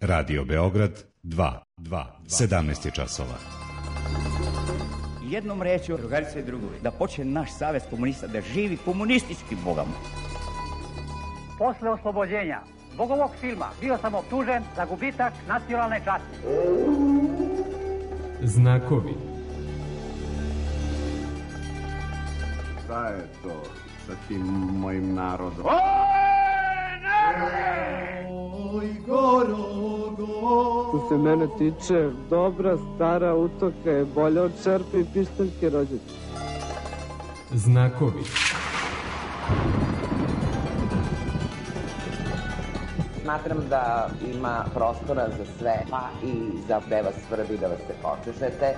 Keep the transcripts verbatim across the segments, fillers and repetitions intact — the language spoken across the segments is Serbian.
Radio Beograd dva, sedamnaest je časova. Jednom rečju, drugarice i drugovi, da počne naš savez komunista da živi komunistički bogama. Posle oslobođenja zbog ovog filma bio sam optužen za gubitak nacionalne časti. Znakovi. Šta je to sa tim mojim narodom? Oj, Gorogo! Što se mene tiče, dobra stara utoka je bolja od čerpe i pištaljke rođačke. Znakovi. Smatram da ima prostora za sve, pa i za gde vas svrbi da vas se počešete.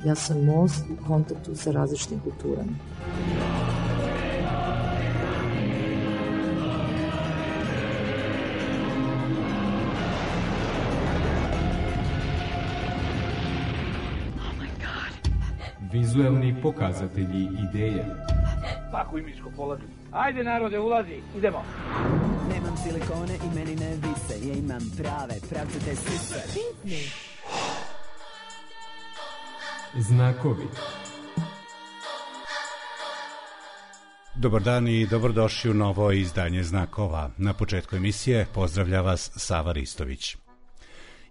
Ja sam most u kontaktu sa različitim kulturama. Vizuelni pokazatelji ideje. Paku i miško polazi. Ajde narode, ulazi, idemo. Nemam silikone i meni ne vise, ja imam prave, pravcate sise. Znakovi. Dobar dan i dobrodošli u novo izdanje Znakova. Na početku emisije pozdravlja vas Sava Ristović.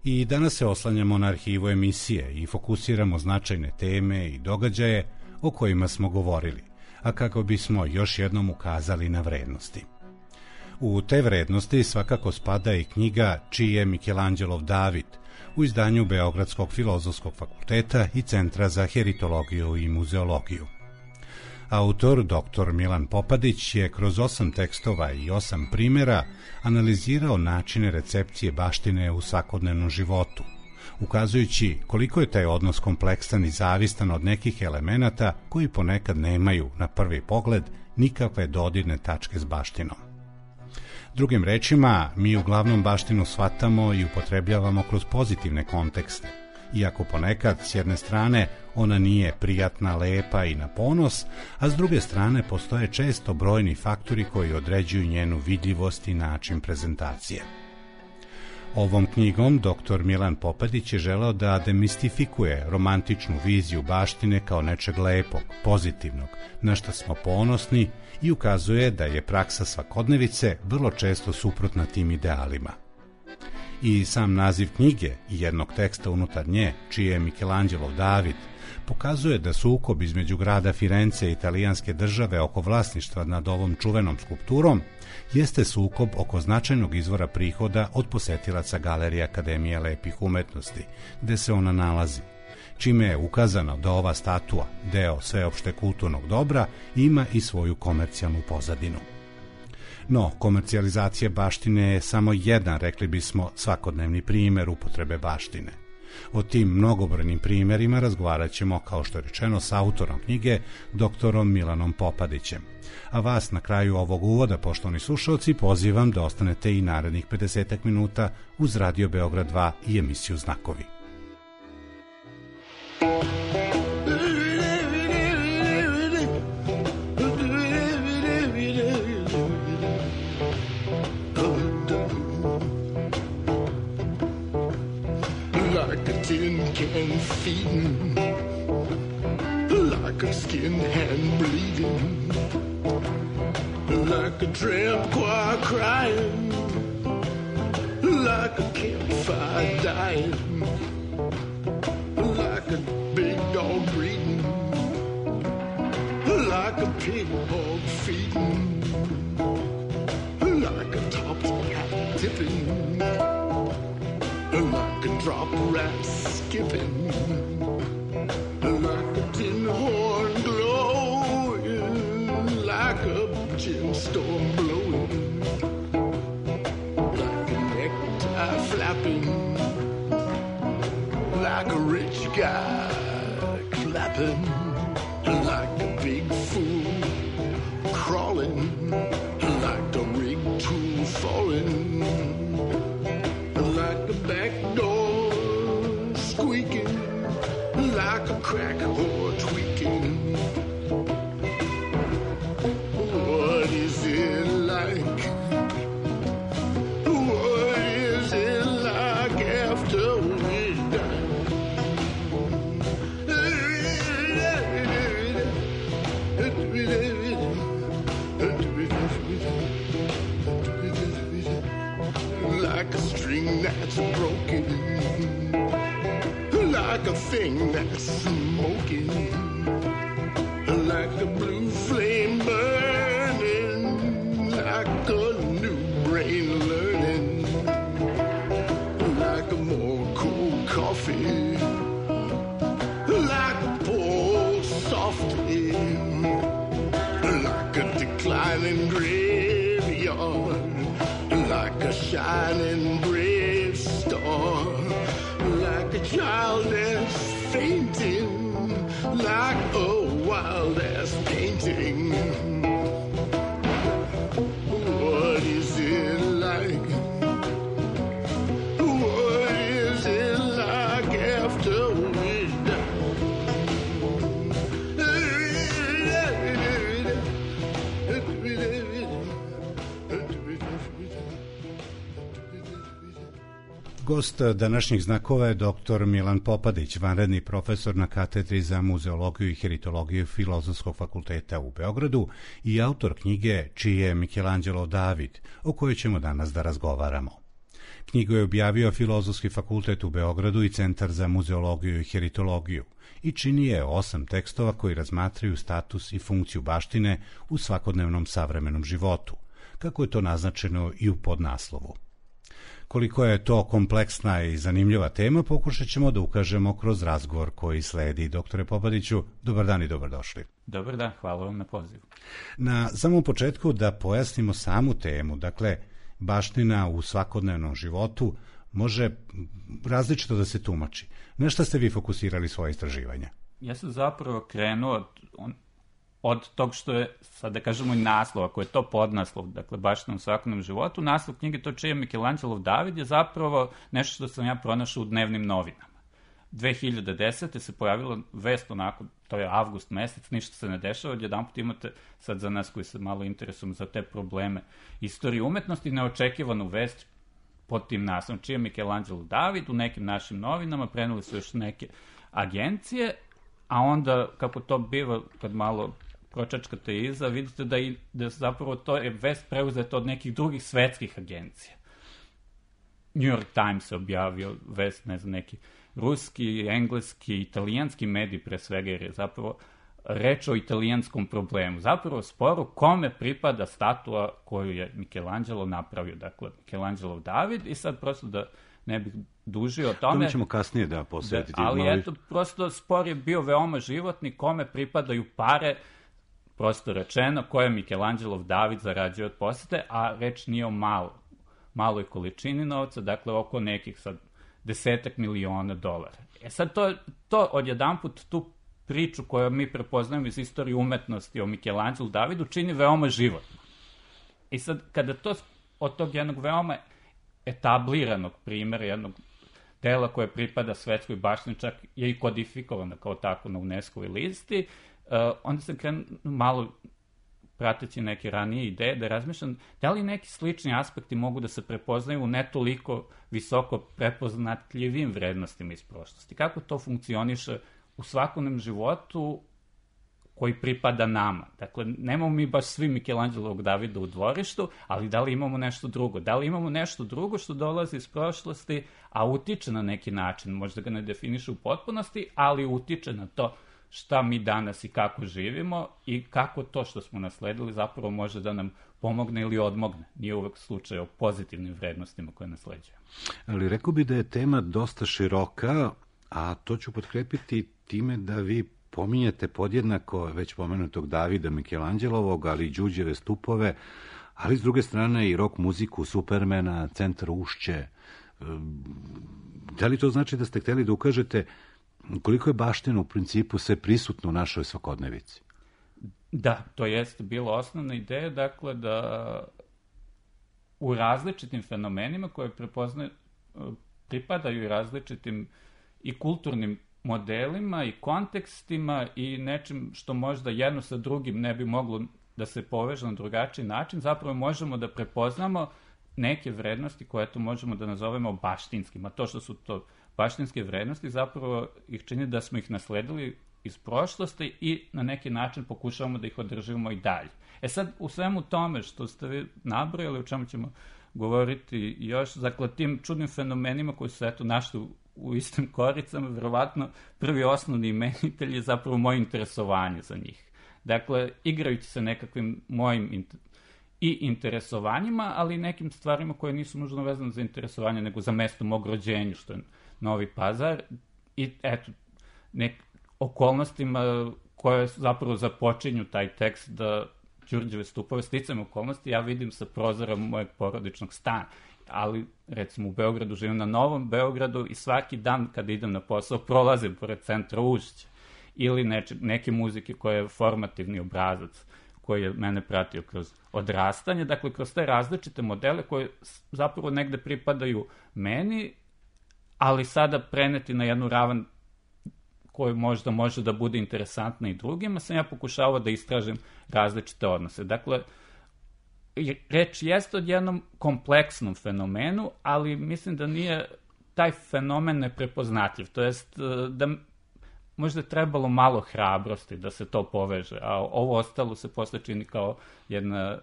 I danas se oslanjamo na arhivu emisije i fokusiramo značajne teme i događaje o kojima smo govorili, a kako bismo još jednom ukazali na vrednosti. U te vrednosti svakako spada i knjiga Čiji je Mikelanđelov David u izdanju Beogradskog filozofskog fakulteta i Centra za heritologiju i muzeologiju. Autor, doktor Milan Popadić, je kroz osam tekstova i osam primjera analizirao načine recepcije baštine u svakodnevnom životu, ukazujući koliko je taj odnos kompleksan i zavistan od nekih elemenata koji ponekad nemaju, na prvi pogled, nikakve dodirne tačke s baštinom. Drugim rečima, mi uglavnom baštinu shvatamo i upotrebljavamo kroz pozitivne kontekste, iako ponekad, s jedne strane, ona nije prijatna, lepa i na ponos, a s druge strane postoje često brojni faktori koji određuju njenu vidljivost i način prezentacije. Ovom knjigom doktor Milan Popadić je želeo da demistifikuje romantičnu viziju baštine kao nečeg lepog, pozitivnog, na što smo ponosni, i ukazuje da je praksa svakodnevice vrlo često suprotna tim idealima. I sam naziv knjige i jednog teksta unutar nje, Čiji je Mikelanđelov David, pokazuje da sukob između grada Firence i italijanske države oko vlasništva nad ovom čuvenom skulpturom jeste sukob oko značajnog izvora prihoda od posetilaca Galerije Akademije lepih umetnosti, gde se ona nalazi, čime je ukazano da ova statua, deo sveopšte kulturnog dobra, ima i svoju komercijalnu pozadinu. No, komercijalizacija baštine je samo jedan, rekli bismo, svakodnevni primjer upotrebe baštine. O tim mnogobrojnim primjerima razgovarat ćemo, kao što je rečeno, s autorom knjige, doktorom Milanom Popadićem. A vas na kraju ovog uvoda, poštovani slušalci, pozivam da ostanete i narednih pedesetak minuta uz Radio Beograd dva i emisiju Znakovi. Can feeding like a skin hand bleeding, like a tramp choir crying, like a campfire dying, like a big dog breeding, like a pig hog feeding, like a top hat tipping, like a drop rat skipping, like a tin horn glowing, like a gemstone blowing, like a necktie flapping, like a rich guy clapping, like a big fool crawling, like a rig tool falling, like a back door squeaking, like a crack whore tweaking. What is it like? like a string that's broken, like a thing that's smoking, like a blue flame burning, like a new brain learning, like a more cool coffee, like a pour softly, like a declining graveyard, like a shining brave star, like a child that's fainting, like a wild ass painting. What is it like? What is it like after we're done? Gost današnjih znakova je doktor Milan Popadić, vanredni profesor na katedri za muzeologiju i heritologiju Filozofskog fakulteta u Beogradu i autor knjige Čiji je Michelangelo David, o kojoj ćemo danas da razgovaramo. Knjigu je objavio Filozofski fakultet u Beogradu i Centar za muzeologiju i heritologiju i čini je osam tekstova koji razmatraju status i funkciju baštine u svakodnevnom savremenom životu, kako je to naznačeno i u podnaslovu. Koliko je to kompleksna i zanimljiva tema, pokušat ćemo da ukažemo kroz razgovor koji sledi. Doktore Popadiću, dobar dan i dobrodošli. Dobar dan, hvala vam na pozivu. Na samom početku da pojasnimo samu temu, dakle, baština u svakodnevnom životu može različito da se tumači. Na šta ste vi fokusirali svoje istraživanja? Ja sam zapravo krenuo od, on, od tog što je, sad da kažemo i naslov, ako je to podnaslov, dakle baština u svakodnevnom životu, naslov knjige To čiji je Michelangelo David je zapravo nešto što sam ja pronašao u dnevnim novinama. dve hiljade desete se pojavila vest onako, to je avgust mesec, ništa se ne dešava, odjedanput imate, sad za nas koji se malo interesujemo za te probleme istorije umetnosti, neočekivanu vest pod tim naslovom Čiji je Michelangelo David, u nekim našim novinama, preneli su još neke agencije, a onda, kako to biva kad malo pročačkate iza, vidite da, i, da zapravo to je vest preuzeta od nekih drugih svetskih agencija. New York Times je objavio vest, ne znam, neki ruski, engleski, italijanski medij pre svega, jer je zapravo reč o italijanskom problemu. Zapravo sporu kome pripada statua koju je Michelangelo napravio, dakle Michelangelo David, i sad prosto da ne bih dužio o tome. Tome ćemo kasnije da posvetiti. Da, ali malo... eto, prosto spor je bio veoma životni, kome pripadaju pare, prosto rečeno, koje Michelangelo David zarađuje od posete, a reč nije o malo, maloj količini novca, dakle oko nekih sad desetak miliona dolara. E sad to, to odjedanput tu priču koju mi prepoznajemo iz istorije umetnosti o Michelangelo Davidu čini veoma životno. I sad kada to od tog jednog veoma etabliranog primjera, jednog dela koje pripada svetskoj baštini, čak je i kodifikovano kao tako na UNESCO-voj listi, uh, onda sam krenuo malo prateći neke ranije ideje da razmišljam da li neki slični aspekti mogu da se prepoznaju u ne toliko visoko prepoznatljivim vrednostima iz prošlosti. Kako to funkcioniše u svakodnevnom životu koji pripada nama. Dakle, nemamo mi baš svi Michelangelovog Davida u dvorištu, ali da li imamo nešto drugo? Da li imamo nešto drugo što dolazi iz prošlosti, a utiče na neki način, možda ga ne definiše u potpunosti, ali utiče na to šta mi danas i kako živimo i kako to što smo nasledili zapravo može da nam pomogne ili odmogne. Nije uvek slučaj o pozitivnim vrednostima koje nasleđujemo. Ali rekao bi da je tema dosta široka, a to ću potkrepiti time da vi pominjete podjednako već pomenutog Davida Michelangelovog, ali i Đuđeve stupove, ali s druge strane i rock muziku Supermana, Centar Ušće. Da li to znači da ste hteli da ukažete koliko je baština u principu sve prisutno u našoj svakodnevici? Da, to jeste bila osnovna ideja, dakle da u različitim fenomenima koje prepoznaju, pripadaju i različitim i kulturnim modelima i kontekstima i nečim što možda jedno sa drugim ne bi moglo da se poveže na drugačiji način, zapravo možemo da prepoznamo neke vrednosti koje to možemo da nazovemo baštinskim, a to što su to baštinske vrednosti zapravo ih čini da smo ih nasledili iz prošlosti i na neki način pokušavamo da ih održimo i dalje. E sad, u svemu tome što ste vi nabrojali, u čemu ćemo govoriti još, dakle, tim čudnim fenomenima koji su, eto, našli u, u istim koricama, verovatno prvi osnovni imenitelj je zapravo moje interesovanje za njih. Dakle, igrajući se nekakvim mojim inter... i interesovanjima, ali i nekim stvarima koje nisu nužno vezane za interesovanje, nego za mesto mog rođenja, što je Novi Pazar, i eto, nek okolnostima koje zapravo započinju taj tekst da Đurđeve stupove, sticajem okolnosti, ja vidim sa prozora mojeg porodičnog stana. Ali, recimo, u Beogradu živim na Novom Beogradu i svaki dan kada idem na posao prolazim pored centra Ušća ili neče, neke muzike koje je formativni obrazac koji je mene pratio kroz odrastanje, dakle, kroz te različite modele koje zapravo negde pripadaju meni, ali sada preneti na jednu ravan koju možda može da bude interesantna i drugima, sam ja pokušavao da istražim različite odnose. Dakle, reč jeste o jednom kompleksnom fenomenu, ali mislim da nije taj fenomen neprepoznatljiv. To jest da možda je trebalo malo hrabrosti da se to poveže, a ovo ostalo se posle čini kao jedna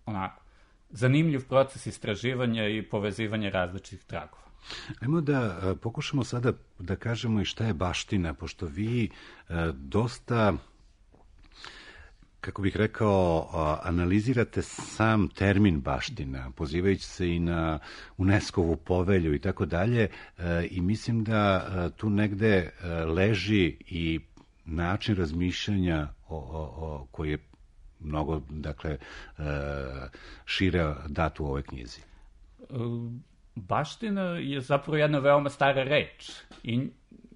onako zanimljiv proces istraživanja i povezivanja različitih tragova. Ajmo da pokušamo sada da kažemo i šta je baština, pošto vi dosta, kako bih rekao, analizirate sam termin baština, pozivajući se i na UNESCO-vu povelju i tako dalje, i mislim da tu negde leži i način razmišljanja o, o, o, koji je mnogo, dakle, šire dat u ovoj knjizi. Baština je zapravo jedna veoma stara reč i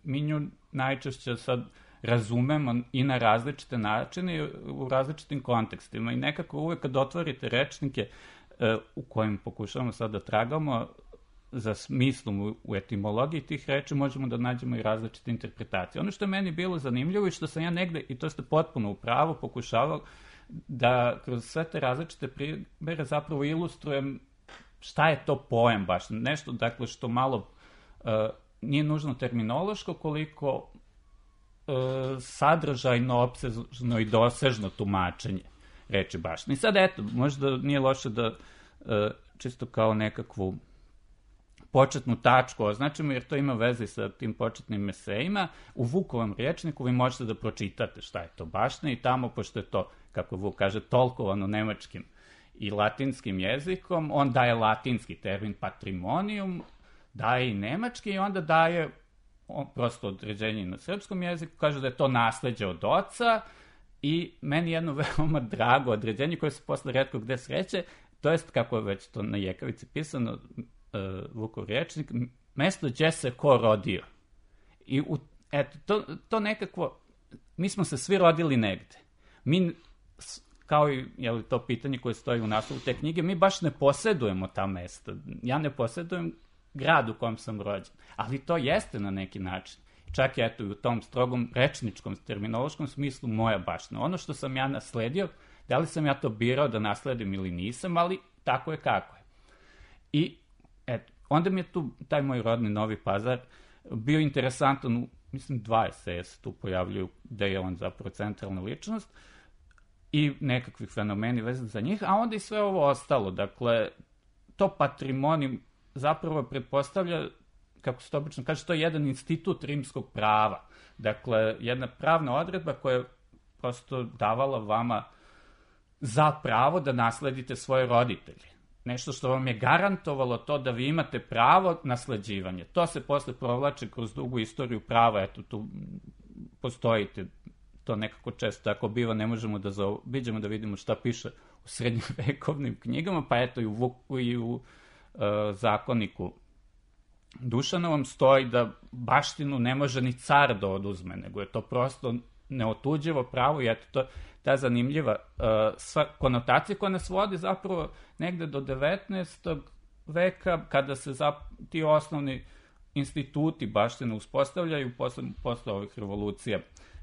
mi nju najčešće sad razumemo i na različite načine i u različitim kontekstima i nekako uvek kad otvorite rečnike u kojim pokušavamo sad da tragamo za smislom u etimologiji tih reči, možemo da nađemo i različite interpretacije. Ono što je meni bilo zanimljivo i što sam ja negde, i to ste potpuno u pravu, pokušavao da kroz sve te različite primere zapravo ilustrujem šta je to pojam baš, nešto, dakle, što malo uh, nije nužno terminološko, koliko uh, sadržajno, opsežno i dosežno tumačenje reči baština. I sad, eto, možda nije loše da uh, čisto kao nekakvu početnu tačku označimo, jer to ima veze sa tim početnim esejima. U Vukovom rječniku vi možete da pročitate šta je to baština i tamo, pošto je to, kako Vuk kaže, tolkovano nemačkim i latinskim jezikom, on daje latinski termin patrimonium, daje i nemački i onda daje on, prosto određenje na srpskom jeziku, kaže da je to nasleđe od oca i meni jedno veoma drago određenje koje se posle retko gde sreće, to jest, kako je već to na jekavici pisano, uh, Vukov rječnik, mesto gdje se ko rodio. I u, eto, to, to nekako, mi smo se svi rodili negde. Mi kao i je li to pitanje koje stoji u naslovu te knjige, mi baš ne posjedujemo ta mesta. Ja ne posjedujem grad u kojem sam rođen, ali to jeste na neki način. Čak je eto i u tom strogom rečničkom, terminološkom smislu moja baština. Ono što sam ja nasledio, da li sam ja to birao da nasledim ili nisam, ali tako je kako je. I eto, onda mi je tu taj moj rodni Novi Pazar bio interesantan, mislim dva eseja se tu pojavljuju gde je on zapravo centralna ličnost, i nekakvih fenomeni vezani za njih, a onda i sve ovo ostalo. Dakle, to patrimonijum zapravo pretpostavlja, kako se to obično kaže, to je jedan institut rimskog prava. Dakle, jedna pravna odredba koja je prosto davala vama za pravo da nasledite svoje roditelje. Nešto što vam je garantovalo to da vi imate pravo nasleđivanja. To se posle provlače kroz dugu istoriju prava. Eto, tu postojite, to nekako često tako biva, ne možemo da zaobiđemo da vidimo šta piše u srednjovekovnim knjigama, pa eto i u, i u uh, zakoniku Dušanovom stoji da baštinu ne može ni car da oduzme, nego je to prosto neotuđivo pravo i eto to, ta zanimljiva uh, sva konotacija koja nas vodi zapravo negde do devetnaestog veka, kada se zap, ti osnovni instituti baštine uspostavljaju posle, posle ovih revolucija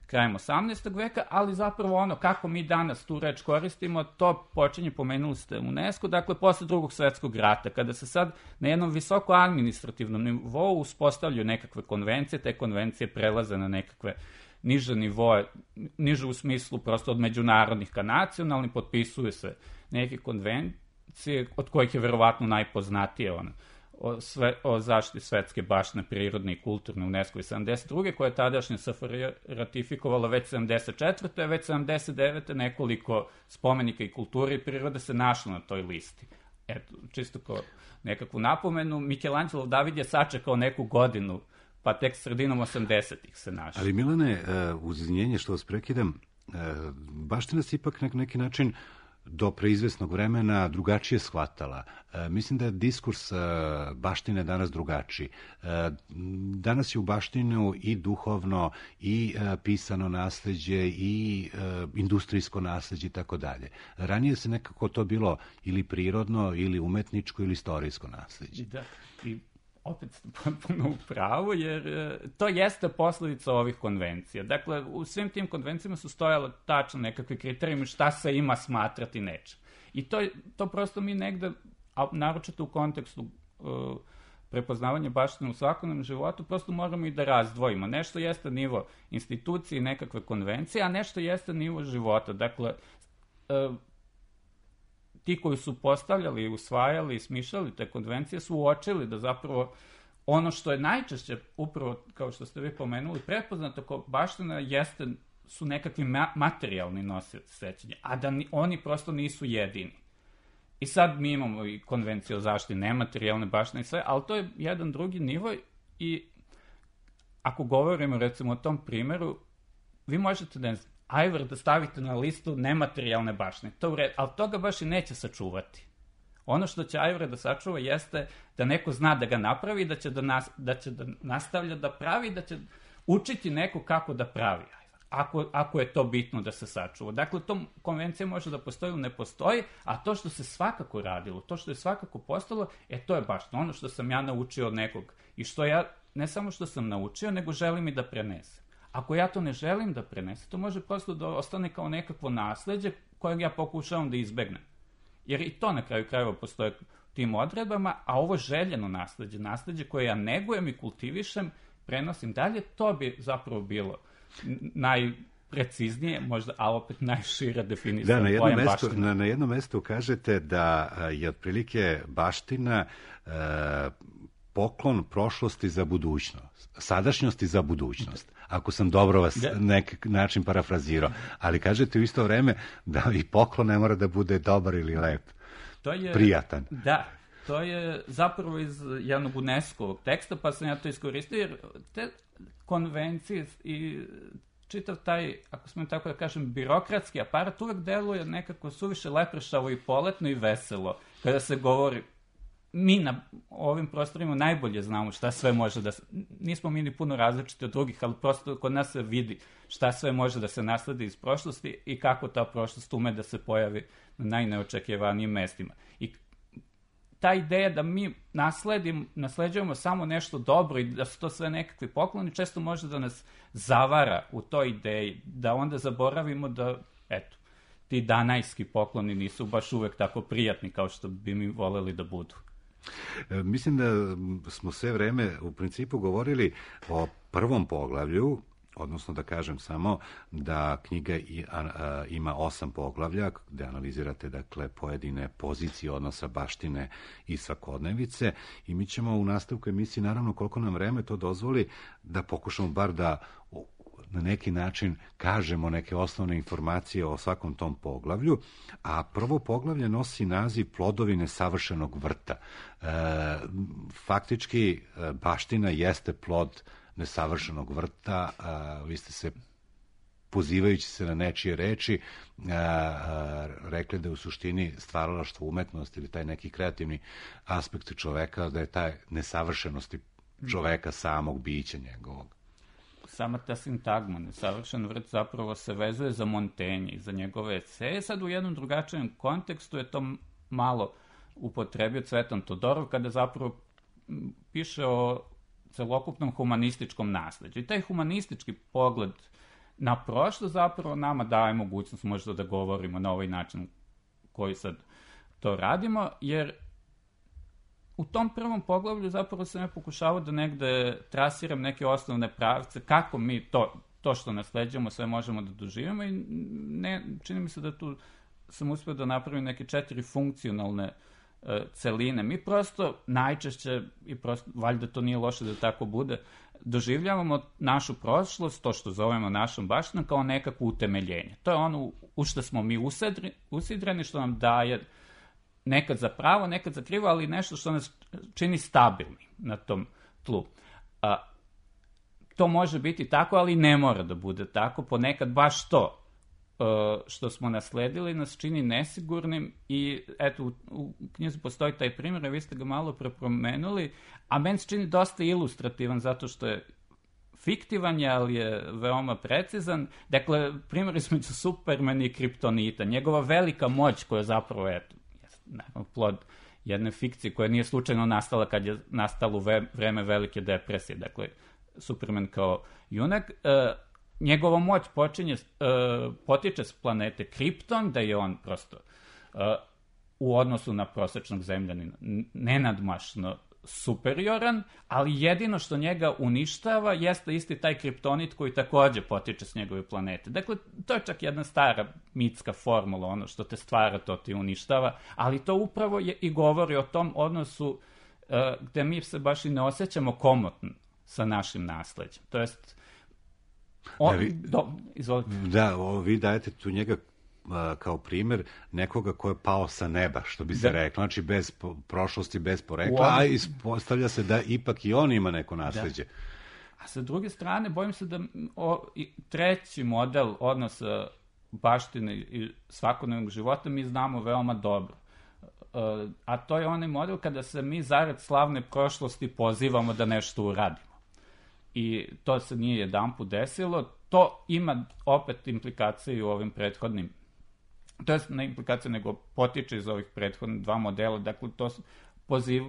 krajem osamnaestog veka, ali zapravo ono kako mi danas tu reč koristimo, to počinje, pomenuli ste UNESCO, dakle posle drugog svetskog rata, kada se sad na jednom visoko administrativnom nivou uspostavljaju nekakve konvencije, te konvencije prelaze na nekakve niže nivoe, niže u smislu prosto od međunarodnih ka nacionalnih, potpisuju se neke konvencije od kojih je verovatno najpoznatije ono, o, sve, o zaštiti svetske baštine, prirodne i kulturne UNESCO i sedamdeset druge koje je tadašnja S F R J ratifikovala već sedamdeset četvrte već sedamdeset devete nekoliko spomenika i kulture i prirode se našlo na toj listi. Eto, čisto kao nekakvu napomenu, Michelangelo David je sačekao neku godinu, pa tek sredinom osamdesetih se našao. Ali Milane, uz izvinjenje što vas prekidam, baština se ipak na neki način do preizvesnog vremena drugačije shvatala. E, mislim da je diskurs e, baštine danas drugačiji. E, danas je u baštinu i duhovno, i e, pisano nasleđe, i e, industrijsko nasleđe i tako dalje. Ranije se nekako to bilo ili prirodno, ili umetničko, ili istorijsko nasleđe. Da, i opet ste potpuno u pravu, jer e, to jeste posledica ovih konvencija. Dakle, u svim tim konvencijama su stojale tačno nekakve kriterijumi šta se ima smatrati nečem. I to, to prosto mi negde, a naročito u kontekstu e, prepoznavanja baštine u svakodnevnom životu, prosto moramo i da razdvojimo. Nešto jeste nivo institucije i nekakve konvencije, a nešto jeste nivo života. Dakle, e, ti koji su postavljali, usvajali i smišljali te konvencije su uočili da zapravo ono što je najčešće, upravo kao što ste vi pomenuli, prepoznato kao baština jeste, su nekakvi ma- materijalni nosioci sećanja, a da ni, oni prosto nisu jedini. I sad mi imamo i konvenciju o zaštiti nematerijalne baštine i sve, ali to je jedan drugi nivo i ako govorimo recimo o tom primjeru, vi možete da ajvar da stavite na listu nematerijalne baštine, to u redu, ali toga baš i neće sačuvati. Ono što će ajvar da sačuva jeste da neko zna da ga napravi, da će da, nas, da, će da nastavlja da pravi, da će učiti neko kako da pravi ajvar, ako, ako je to bitno da se sačuva. Dakle, to konvencija može da postoji ili ne postoji, a to što se svakako radilo, to što je svakako postalo, e to je baš ono što sam ja naučio od nekog i što ja, ne samo što sam naučio, nego želim i da prenesem. Ako ja to ne želim da prenesem, to može prosto da ostane kao nekakvo nasleđe kojeg ja pokušavam da izbegnem. Jer i to na kraju krajeva postoje u tim odredbama, a ovo željeno nasleđe, nasleđe koje ja negujem i kultivišem, prenosim dalje, to bi zapravo bilo najpreciznije, možda, a opet najšira definicija. Da, na jednom, mestu, na, na jednom mestu kažete da je otprilike baština e, poklon prošlosti za budućnost, sadašnjosti za budućnost. Ako sam dobro vas da. Nek način parafrazirao. Ali kažete u isto vreme da i poklon ne mora da bude dobar ili lep, to je, prijatan. Da, to je zapravo iz jednog UNESCO-ovog teksta, pa sam ja to iskoristio, jer te konvencije i čitav taj, ako smo tako da kažem, birokratski aparat uvek deluje nekako suviše lepršavo i poletno i veselo. Kada se govori, mi na ovim prostorima najbolje znamo šta sve može da se, nismo mi ni puno različiti od drugih, ali prosto kod nas se vidi šta sve može da se nasledi iz prošlosti i kako ta prošlost ume da se pojavi na najneočekivanijim mestima. I ta ideja da mi nasledim, nasleđujemo samo nešto dobro i da su to sve nekakvi pokloni, često može da nas zavara u toj ideji, da onda zaboravimo da, eto, ti danajski pokloni nisu baš uvek tako prijatni kao što bi mi voleli da budu. E, mislim da smo sve vreme u principu govorili o prvom poglavlju, odnosno da kažem samo da knjiga i, a, a, ima osam poglavlja gde analizirate dakle pojedine pozicije odnosa baštine i svakodnevice i mi ćemo u nastavku emisije, naravno koliko nam vreme to dozvoli, da pokušamo bar da na neki način kažemo neke osnovne informacije o svakom tom poglavlju, a prvo poglavlje nosi naziv Plodovi nesavršenog vrta. E, faktički baština jeste plod nesavršenog vrta, a, vi ste se pozivajući se na nečije reči a, a, rekli da je u suštini stvaralaštvo umetnosti ili taj neki kreativni aspekt čoveka, da je taj nesavršenosti čoveka samog bića njegovog. Sama ta sintagma, nesavršen vrt zapravo se vezuje za Montaigne i za njegove eseje. Sad u jednom drugačijem kontekstu je to malo upotrebio Cvetan Todorov kada zapravo piše o celokupnom humanističkom nasleđu. I taj humanistički pogled na prošlo zapravo nama daje mogućnost možda da govorimo na ovaj način koji sad to radimo, jer u tom prvom poglavlju zapravo sam ja pokušavao da negde trasiram neke osnovne pravce, kako mi to, to što nasleđujemo sve možemo da doživimo i ne, čini mi se da tu sam uspio da napravim neke četiri funkcionalne uh, celine. Mi prosto najčešće, i prosto, valjda to nije loše da tako bude, doživljavamo našu prošlost, to što zovemo našom baštinom, kao nekakvo utemeljenje. To je ono u što smo mi usedri, usidreni, što nam daje nekad za pravo, nekad za krivo, ali nešto što nas čini stabilni na tom tlu. A, to može biti tako, ali ne mora da bude tako. Ponekad baš to uh, što smo nasledili nas čini nesigurnim i eto, u, u knjizi postoji taj primjer, a vi ste ga malo prepromenuli, a meni se čini dosta ilustrativan zato što je fiktivan je, ali je veoma precizan. Dakle, primjer između Supermana i Kriptonita, njegova velika moć koja zapravo, eto, naravno, plod jedne fikcije koja nije slučajno nastala kad je nastalo ve, vreme velike depresije. Dakle, Superman kao junak, e, njegova moć počinje, e, potiče s planete Kripton, da je on prosto e, u odnosu na prosečnog zemljanina nenadmašno superioran, ali jedino što njega uništava jeste isti taj kriptonit koji takođe potiče s njegove planete. Dakle, to je čak jedna stara mitska formula, ono što te stvara, to ti uništava, ali to upravo je i govori o tom odnosu uh, gde mi se baš i ne osjećamo komotno sa našim nasleđem. To jest, on, da, vi, do, izvolite. Da, o, vi dajete tu njega kao primjer nekoga ko je pao sa neba, što bi se da. reklo, znači bez po, prošlosti, bez porekla, on... a ispostavlja se da ipak i on ima neko nasleđe. Da. A sa druge strane, bojim se da o, i treći model odnosa baštine i svakodnevnog života mi znamo veoma dobro. Uh, a to je onaj model kada se mi zarad slavne prošlosti pozivamo da nešto uradimo. I to se nije jedanput desilo. To ima opet implikacije u ovim prethodnim, to je ne implikacija, nego potiče iz ovih prethodnih dva modela. Dakle, to poziv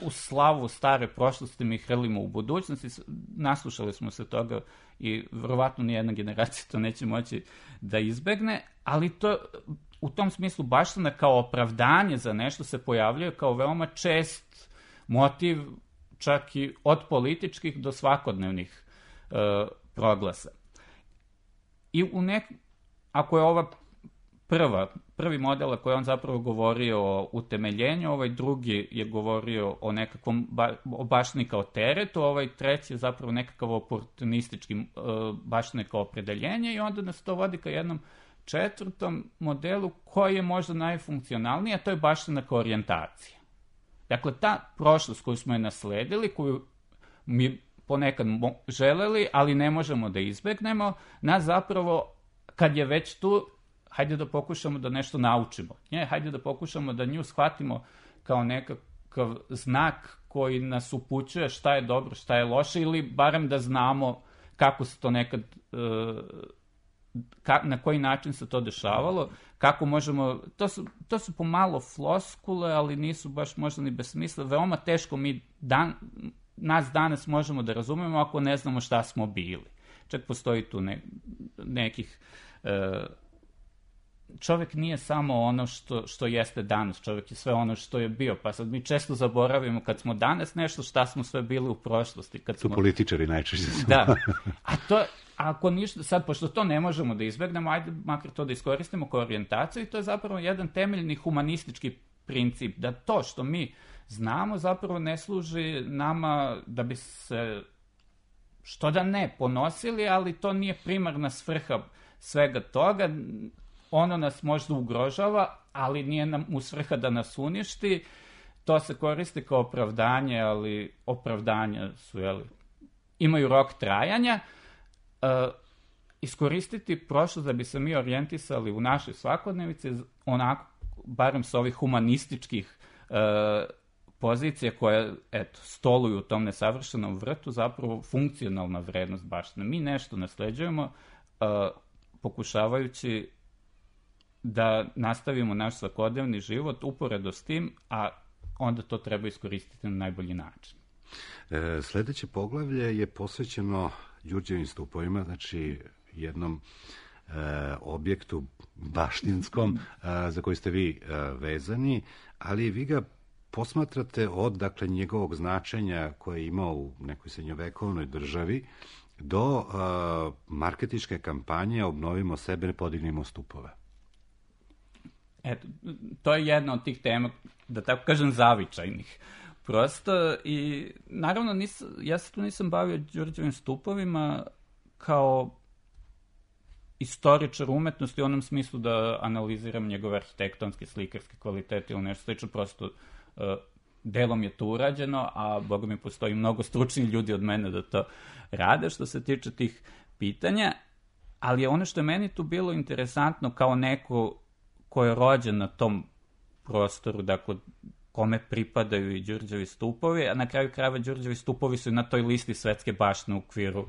u slavu stare prošlosti mi hrlimo u budućnosti. Naslušali smo se toga i verovatno nijedna generacija to neće moći da izbegne, ali to u tom smislu baština kao opravdanje za nešto se pojavljuje kao veoma čest motiv, čak i od političkih do svakodnevnih uh, proglasa. I u nek... ako je ova prva, prvi model koji on zapravo govorio o utemeljenju, ovaj drugi je govorio o nekakvom ba... o baštini kao teretu, ovaj treći je zapravo nekakav oportunistički uh, baštine kao opredeljenje i onda nas to vodi ka jednom četvrtom modelu koji je možda najfunkcionalniji, a to je baština kao orijentacija. Dakle, ta prošlost koju smo je nasledili, koju mi ponekad želeli, ali ne možemo da izbegnemo, nas zapravo, kad je već tu, hajde da pokušamo da nešto naučimo. Nje, hajde da pokušamo da nju shvatimo kao nekakav znak koji nas upućuje šta je dobro, šta je loše, ili barem da znamo kako se to nekad, ka, na koji način se to dešavalo, kako možemo, to su, to su pomalo floskule, ali nisu baš možda ni bez smisla, veoma teško mi dan, nas danas možemo da razumemo ako ne znamo šta smo bili. Čak postoji tu ne, nekih... E, čovjek nije samo ono što, što jeste danas, čovjek je sve ono što je bio, pa sad mi često zaboravimo kad smo danas nešto, šta smo sve bili u prošlosti. Kad su smo... političari najčešće. Da, a to, ako ništa, sad, pošto to ne možemo da izbegnemo, ajde makar to da iskoristimo kao orijentaciju i to je zapravo jedan temeljni humanistički princip, da to što mi znamo zapravo ne služi nama da bi se, što da ne, ponosili, ali to nije primarna svrha svega toga. Ono nas možda ugrožava, ali nije nam u svrha da nas uništi. To se koristi kao opravdanje, ali opravdanja su, jeli, imaju rok trajanja. E, iskoristiti prošlost da bi se mi orijentisali u našoj svakodnevici, onako, barem sa ovih humanističkih e, pozicija koje, eto, stoluju u tom nesavršenom vrtu, zapravo funkcionalna vrednost baštine. Mi nešto nasleđujemo, e, pokušavajući da nastavimo naš svakodnevni život uporedo s tim, a onda to treba iskoristiti na najbolji način. E, sledeće poglavlje je posvećeno Đurđevim stupovima, znači jednom e, objektu baštinskom e, za koji ste vi e, vezani, ali vi ga posmatrate od, dakle, njegovog značenja koje je imao u nekoj srednjovekovnoj državi do e, marketinške kampanje Obnovimo sebe, ne podignimo stupove. Eto, to je jedna od tih tema, da tako kažem, zavičajnih. Prosto, i naravno, nis, ja se tu nisam bavio Đurđevim stupovima kao istoričar umetnosti u onom smislu da analiziram njegove arhitektonske, slikarske kvalitete ili nešto slično, prosto uh, delom je to urađeno, a boga mi postoji mnogo stručnih ljudi od mene da to rade što se tiče tih pitanja, ali ono što je meni tu bilo interesantno kao neko ko je rođen na tom prostoru, dakle, kome pripadaju i Đurđevi stupovi, a na kraju krajeva Đurđevi stupovi su i na toj listi svetske baštine u okviru uh,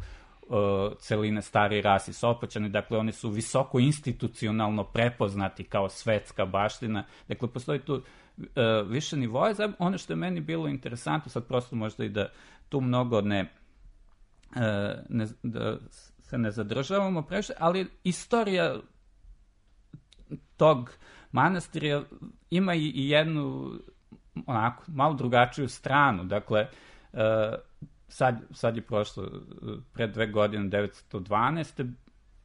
celine Stari Ras i Sopoćani, dakle oni su visoko institucionalno prepoznati kao svetska baština, dakle postoji tu uh, više nivoja. Ono što je meni bilo interesantno, sad prosto možda i da tu mnogo ne, uh, ne da se ne zadržavamo previše, ali istorija tog manastira ima i, i jednu onako, malo drugačiju stranu. Dakle, uh, sad, sad je prošlo pre dve godine, devetsto dvanaeste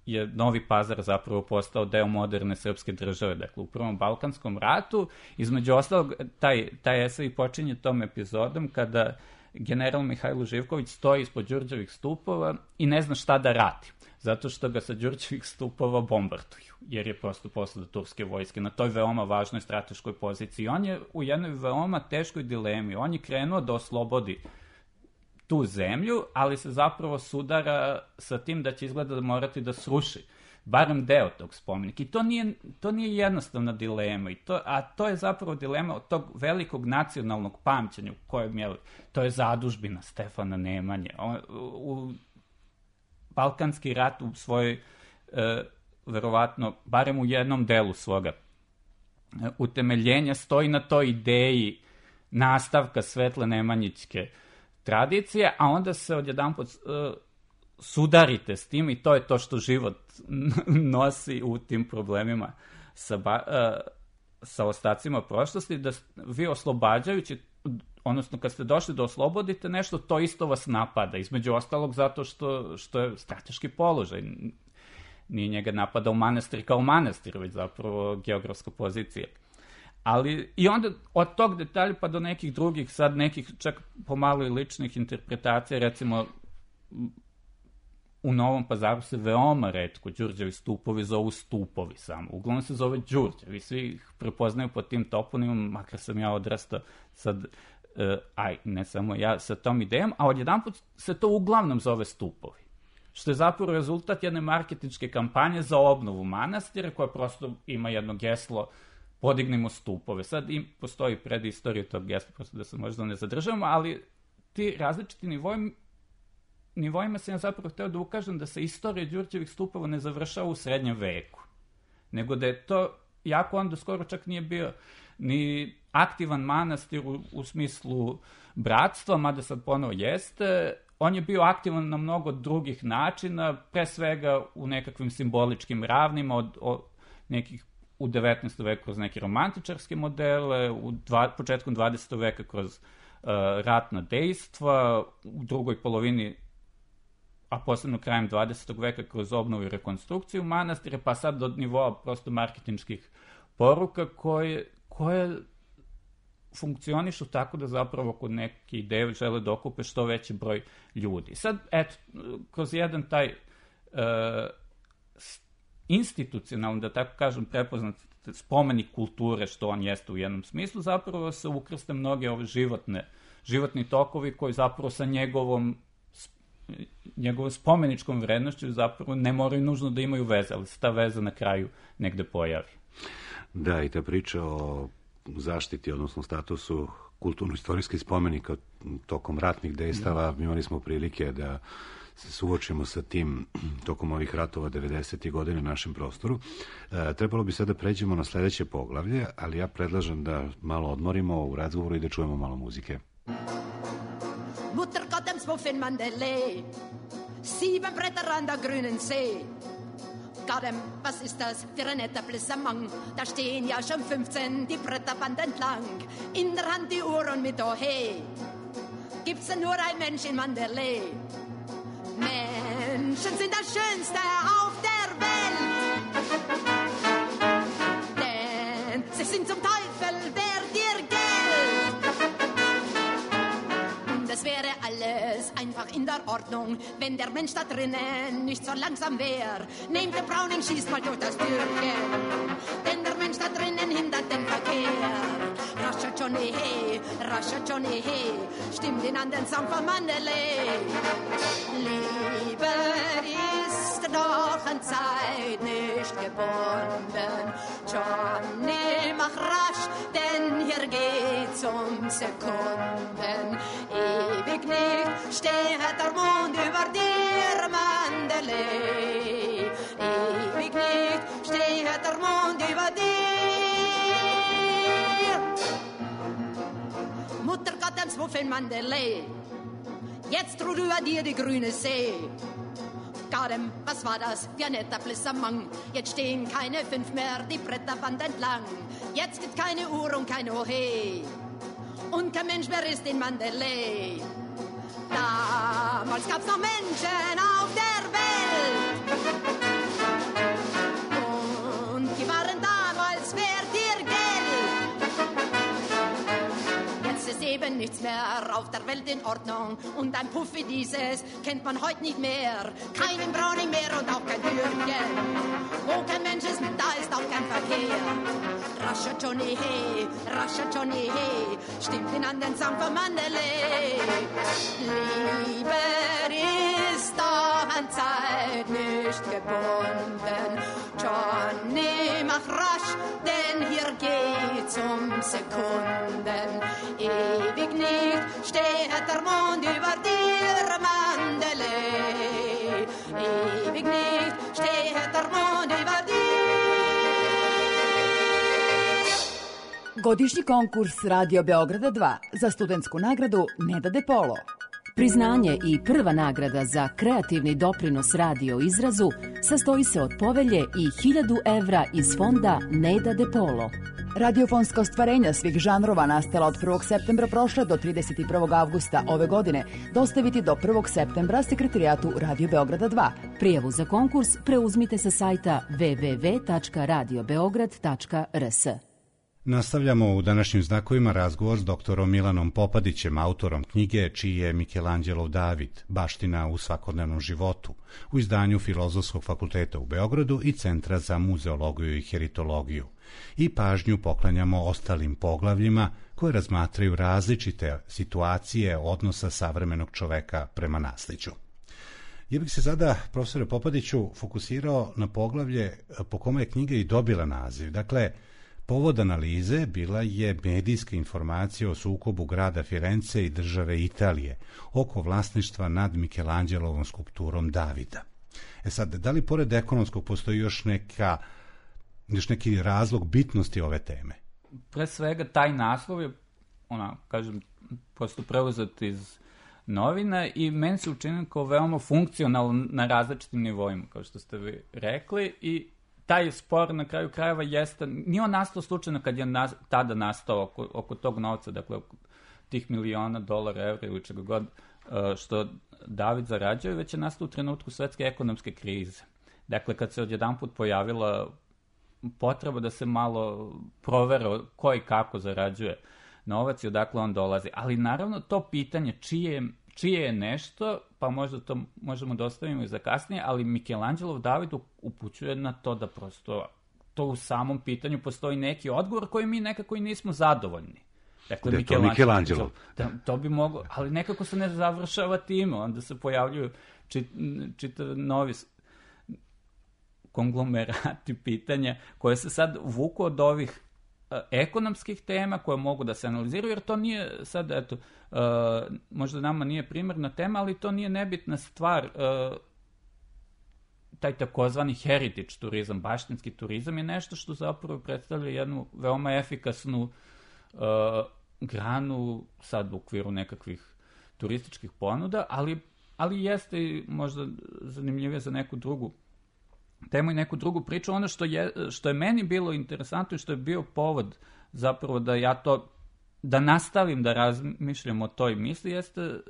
je Novi Pazar zapravo postao deo moderne srpske države. Dakle, u Prvom Balkanskom ratu, između ostalog, taj, taj esej počinje tom epizodom kada general Mihajlo Živković stoji ispod Đurđevih stupova i ne zna šta da radi, zato što ga sa Đurđevih stupova bombarduju, jer je prosto posle turske vojske na toj veoma važnoj strateškoj poziciji. On je u jednoj veoma teškoj dilemi. On je krenuo da oslobodi tu zemlju, ali se zapravo sudara sa tim da će izgleda da morati da sruši barem deo tog spomenika. I to nije, to nije jednostavna dilema, i to, a to je zapravo dilema od tog velikog nacionalnog pamćenja u kojem je, to je zadužbina Stefana Nemanje. On, u, u Balkanski rat u svojoj, e, verovatno, barem u jednom delu svoga e, utemeljenja stoji na toj ideji nastavka svetle nemanjićke tradicije, a onda se odjedanput e, sudarite s tim i to je to što život nosi u tim problemima sa, ba, e, sa ostacima prošlosti, da vi oslobađajući, odnosno kad ste došli da oslobodite nešto, to isto vas napada, između ostalog zato što, što je strateški položaj. Nije njega napadao manastir kao manastir, već zapravo geografska pozicija. Ali i onda od tog detalja pa do nekih drugih, sad nekih čak pomalo i ličnih interpretacija, recimo u Novom Pazaru se veoma retko Đurđevi stupovi zovu stupovi samo. Uglavnom se zove Đurđevi, svi ih prepoznaju pod tim toponimom, makar sam ja odrastao sad, uh, aj, ne samo ja, sa tom idejom, a odjedanput se to uglavnom zove stupovi. Što je zapravo rezultat jedne marketinške kampanje za obnovu manastira, koja prosto ima jedno geslo podignimo stupove. Sad im postoji predistorija tog gesla, prosto da se možda ne zadržavamo, ali ti različiti nivoji nivoima sam ja zapravo hteo da ukažem da se istorija Đurđevih stupova ne završava u srednjem veku, nego da je to, jako onda skoro čak nije bio ni aktivan manastir u, u smislu bratstva, mada sad ponovo jeste, on je bio aktivan na mnogo drugih načina, pre svega u nekakvim simboličkim ravnima, od, od nekih u devetnaestom veku kroz neke romantičarske modele, u dva, početkom dvadesetog veka kroz uh, ratna dejstva, u drugoj polovini, a posebno krajem dvadesetog veka kroz obnovu i rekonstrukciju manastira, pa sad do nivoa prosto marketinških poruka koje, koje funkcionišu tako da zapravo kod neke ideje žele da okupe što veći broj ljudi. Sad, eto, kroz jedan taj uh, institucionalno, da tako kažem, prepoznat spomenik kulture, što on jeste u jednom smislu, zapravo se ukrste mnoge ove životne, životni tokovi koji zapravo sa njegovom njegovom spomeničkom vrednošću zapravo ne moraju nužno da imaju veze, ali se ta veza na kraju negde pojavi. Da, i ta priča o zaštiti, odnosno statusu kulturno-istorijskih spomenika tokom ratnih dejstava, da. Imali smo prilike da se suočimo sa tim tokom ovih ratova devedesetih godina na našem prostoru. E, trebalo bi sada da pređemo na sledeće poglavlje, ali ja predlažem da malo odmorimo u razgovoru i da čujemo malo muzike. Mutter Gott, dem Smuffin Mandele, sieben Bretter an der grünen See. Gadem, was ist das für ein netter Blissamang? Da stehen ja schon fünfzehn die Bretterband entlang. In der Hand die Uhr und mit Ohe. Gibt's denn nur ein Mensch in Mandele? Menschen sind das Schönste auf der Welt. Denn sie sind zum Teufel, wer dir Geld. Das wäre alles einfach in der Ordnung, wenn der Mensch da drinnen nicht so langsam wäre. Nehmt der Browning, schießt mal durch das Türchen, denn der Mensch da drinnen hindert den Verkehr. Rascher Johnny, hey, rascher Johnny, hey, stimmt ihn an den Song von Mandalay. Liebe ist doch an Zeit nicht gebunden. Johnny, mach rasch, denn hier geht's um Sekunden. Ewig nicht steht der Mond über dir, Mandalay. Ewig nicht steht der Mond über dir. Mutter Gottems Muffin Mandalay, jetzt ruht über dir die grüne See. Gadem, was war das für ein netter Blissamang? Jetzt stehen keine fünf mehr die Bretterwand entlang. Jetzt gibt keine Uhr und kein Ohe. Und kein Mensch mehr ist in Mandalay. Damals gab's noch Menschen auf der Welt. Und die waren damals wert ihr Geld. Jetzt ist eben nichts mehr auf der Welt in Ordnung. Und ein Puff wie dieses kennt man heute nicht mehr. Keinen Browning mehr und auch kein Türchen. Wo kein Mensch ist, da ist auch kein Verkehr. Rascher Johnny, hey, rascher Johnny, hey, stimmt ihn an den Song von Mandalay. Liebe ist doch an Zeit nicht gebunden. Johnny, mach rasch, denn hier geht's um Sekunden. Ewig nicht steht der Mond über dir, Mandalay. Ewig nicht steht der Mond über dir. Godišnji konkurs Radio Beograda dva za studentsku nagradu Neda De Polo. Priznanje i prva nagrada za kreativni doprinos radio izrazu sastoji se od povelje i hiljadu evra iz fonda Neda De Polo. Radiofonska ostvarenja svih žanrova nastala od prvog septembra prošle do trideset prvog avgusta ove godine dostaviti do prvog septembra sekretarijatu Radio Beograda dva. Prijavu za konkurs preuzmite sa sajta w w w tačka radio beograd tačka r s. Nastavljamo u današnjim znakovima razgovor s doktorom Milanom Popadićem, autorom knjige čiji je Mikelanđelov David, baština u svakodnevnom životu, u izdanju Filozofskog fakulteta u Beogradu i Centra za muzeologiju i heritologiju. I pažnju poklanjamo ostalim poglavljima koje razmatraju različite situacije odnosa savremenog čoveka prema naslijeđu. Ja bih se sada, profesore Popadiću, fokusirao na poglavlje po kome je knjiga i dobila naziv. Dakle, povod analize bila je medijska informacija o sukobu grada Firence i države Italije oko vlasništva nad Mikelanđelovom skulpturom Davida. E sad, da li pored ekonomskog postoji još neka, još neki razlog bitnosti ove teme? Pre svega, taj naslov je, ona, kažem, prosto preuzet iz novina i meni se učinio kao veoma funkcionalno na različitim nivoima, kao što ste vi rekli, i taj spor na kraju krajeva jeste, nije on nastao slučajno kad je nas, tada nastao oko, oko tog novca, dakle oko tih miliona dolara, evra ili čega god što David zarađuje, već je nastao u trenutku svetske ekonomske krize. Dakle, kad se odjedanput pojavila potreba da se malo provere ko i kako zarađuje novac i odakle on dolazi. Ali naravno to pitanje čije, čije je nešto, pa možda to možemo da ostavimo i za kasnije, ali Mikelanđelov David upućuje na to da prosto to u samom pitanju postoji neki odgovor koji mi nekako i nismo zadovoljni. Dakle, da je to Mikelanđelov. Da, to bi moglo, ali nekako se ne završava time, onda se pojavljuju čit, čitav novi konglomerati pitanja koje se sad vuku od ovih uh, ekonomskih tema koje mogu da se analiziraju, jer to nije sad, eto, uh, možda nama nije primarna tema, ali to nije nebitna stvar. Uh, taj takozvani heritage turizam, baštinski turizam je nešto što zapravo predstavlja jednu veoma efikasnu uh, granu sad u okviru nekakvih turističkih ponuda, ali, ali jeste možda zanimljivije za neku drugu temu i neku drugu priču. Ono što je, što je meni bilo interesantno i što je bio povod zapravo da ja to, da nastavim da razmišljam o toj misli, jeste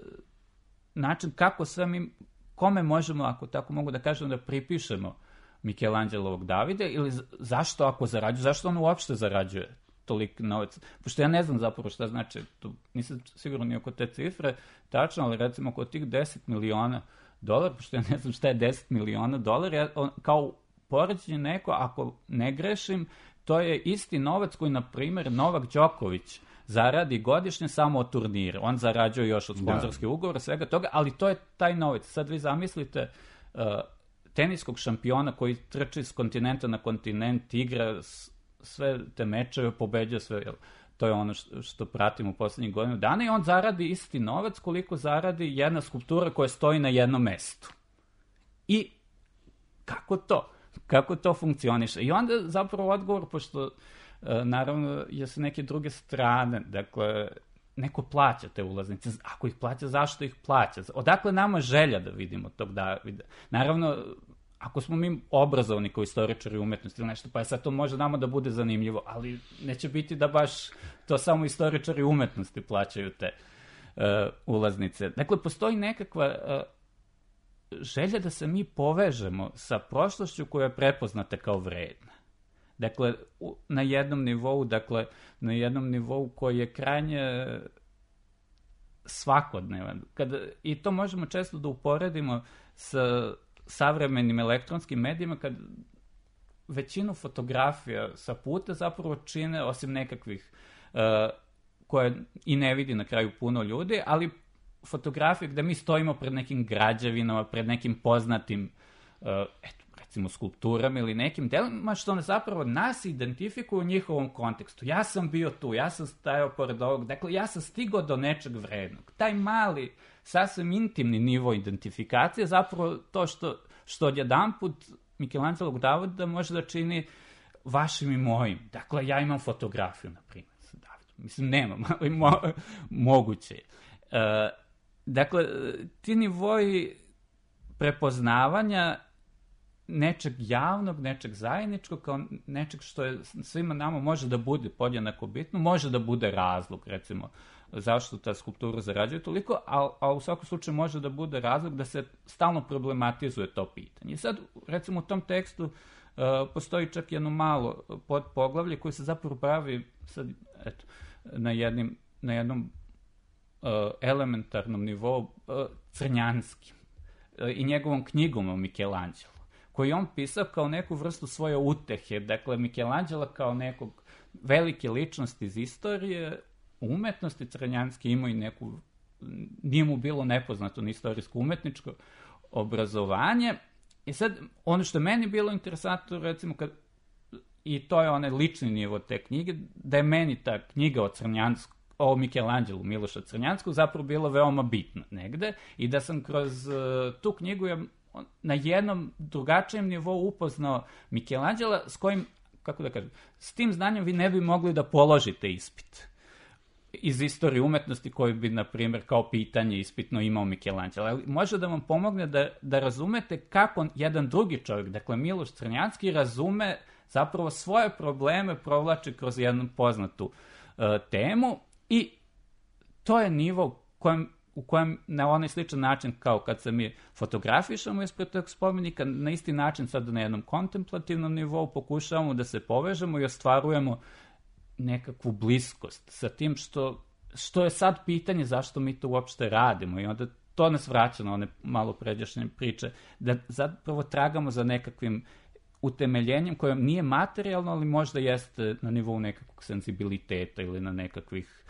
način kako sve mi, kome možemo, ako tako mogu da kažem, da pripišemo Michelangelovog Davida, ili zašto ako zarađuje, zašto on uopšte zarađuje toliko novac? Pošto ja ne znam zapravo šta znači, tu nisam sigurno ni oko te cifre tačno, ali recimo oko tih deset miliona dolara, pošto ja ne znam šta je deset miliona dolara, ja, on, kao poređenje neko, ako ne grešim, to je isti novac koji, na primjer, Novak Đoković zaradi godišnje samo od turnira. On zarađuje još od sponzorskih ugovora, svega toga, ali to je taj novac. Sad vi zamislite uh, teniskog šampiona koji trči s kontinenta na kontinent, igra s, sve te mečeve, pobeđa sve, jel? To je ono što, što pratimo u poslednjih godinu dana, i on zaradi isti novac koliko zaradi jedna skulptura koja stoji na jednom mestu. I kako to? Kako to funkcioniše? I onda zapravo odgovor, pošto naravno je sa neke druge strane, dakle, neko plaća te ulaznice. Ako ih plaća, zašto ih plaća? Odakle nama želja da vidimo tog Davida? Naravno, ako smo mi obrazovni kao istoričari umetnosti ili nešto, pa je sad to može nama da bude zanimljivo, ali neće biti da baš to samo istoričari umetnosti plaćaju te uh, ulaznice. Dakle, postoji nekakva uh, želja da se mi povežemo sa prošlošću koja je prepoznata kao vredna. Dakle, u, na jednom nivou, dakle, na jednom nivou koji je krajnje svakodnevan. Kada, i to možemo često da uporedimo sa savremenim elektronskim medijima, kad većinu fotografija sa puta zapravo čine, osim nekakvih uh, koje i ne vidi na kraju puno ljudi, ali fotografije gde mi stojimo pred nekim građevinama, pred nekim poznatim uh, eto, recimo skulpturama ili nekim delima, što ne zapravo nas identifikuju u njihovom kontekstu. Ja sam bio tu, ja sam stajao pored ovog, dakle ja sam stigao do nečeg vrednog. Taj mali, sasvim intimni nivo identifikacije, zapravo to što, što odjedanput Michelangelovog Davida može da čini vašim i mojim. Dakle, ja imam fotografiju, na primjer, sa Davidom. Mislim, nemam, ali mo, moguće. Uh, dakle, ti nivoji prepoznavanja nečeg javnog, nečeg zajedničkog, kao nečeg što je svima nama može da bude podjednako bitno, može da bude razlog, recimo, zašto ta skulptura zarađuje toliko, a, a u svakom slučaju može da bude razlog da se stalno problematizuje to pitanje. I sad, recimo, u tom tekstu uh, postoji čak jedno malo podpoglavlje koje se zapravo pravi sad, eto, na, jednim, na jednom uh, elementarnom nivou uh, crnjanskim uh, i njegovom knjigom o Michelangelo, koji on pisao kao neku vrstu svoje utehe. Dakle, Michelangelo kao nekog velike ličnosti iz istorije umetnosti crnjanske imao i neku, nije mu bilo nepoznato ni istorijsko umetničko obrazovanje. I sad, ono što je meni bilo interesantno, recimo, kad, i to je onaj lični nivo te knjige, da je meni ta knjiga o Crnjansku, o Michelangelu Miloša Crnjanskog zapravo bila veoma bitna negde, i da sam kroz uh, tu knjigu ja na jednom drugačijem nivou upoznao Michelangela, s kojim, kako da kažem, s tim znanjem vi ne bi mogli da položite ispit iz istorije umetnosti koji bi, na primjer, kao pitanje ispitno imao Michelangelo. Ali može da vam pomogne da, da razumete kako jedan drugi čovjek, dakle Miloš Crnjanski, razume zapravo svoje probleme, provlači kroz jednu poznatu uh, temu, i to je nivo kojem, u kojem na onaj sličan način kao kad se mi fotografišemo ispred tog spomenika, na isti način sad na jednom kontemplativnom nivou pokušavamo da se povežemo i ostvarujemo nekakvu bliskost sa tim što, što je sad pitanje zašto mi to uopšte radimo, i onda to nas vraća na one malo pređašnje priče, da zapravo tragamo za nekakvim utemeljenjem koje nije materijalno, ali možda jeste na nivou nekakvog senzibiliteta ili na nekakvih